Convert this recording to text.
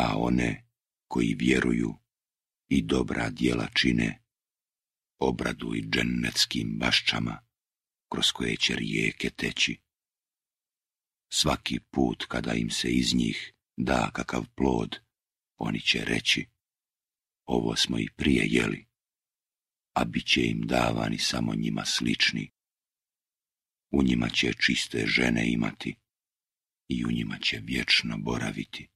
a one koji vjeruju i dobra djela čine, obraduj džennetskim baščama, kroz koje će rijeke teći. Svaki put kada im se iz njih da kakav plod, oni će reći, ovo smo i prije jeli, a bit će im davani samo njima slični. U njima će čiste žene imati i u njima će vječno boraviti.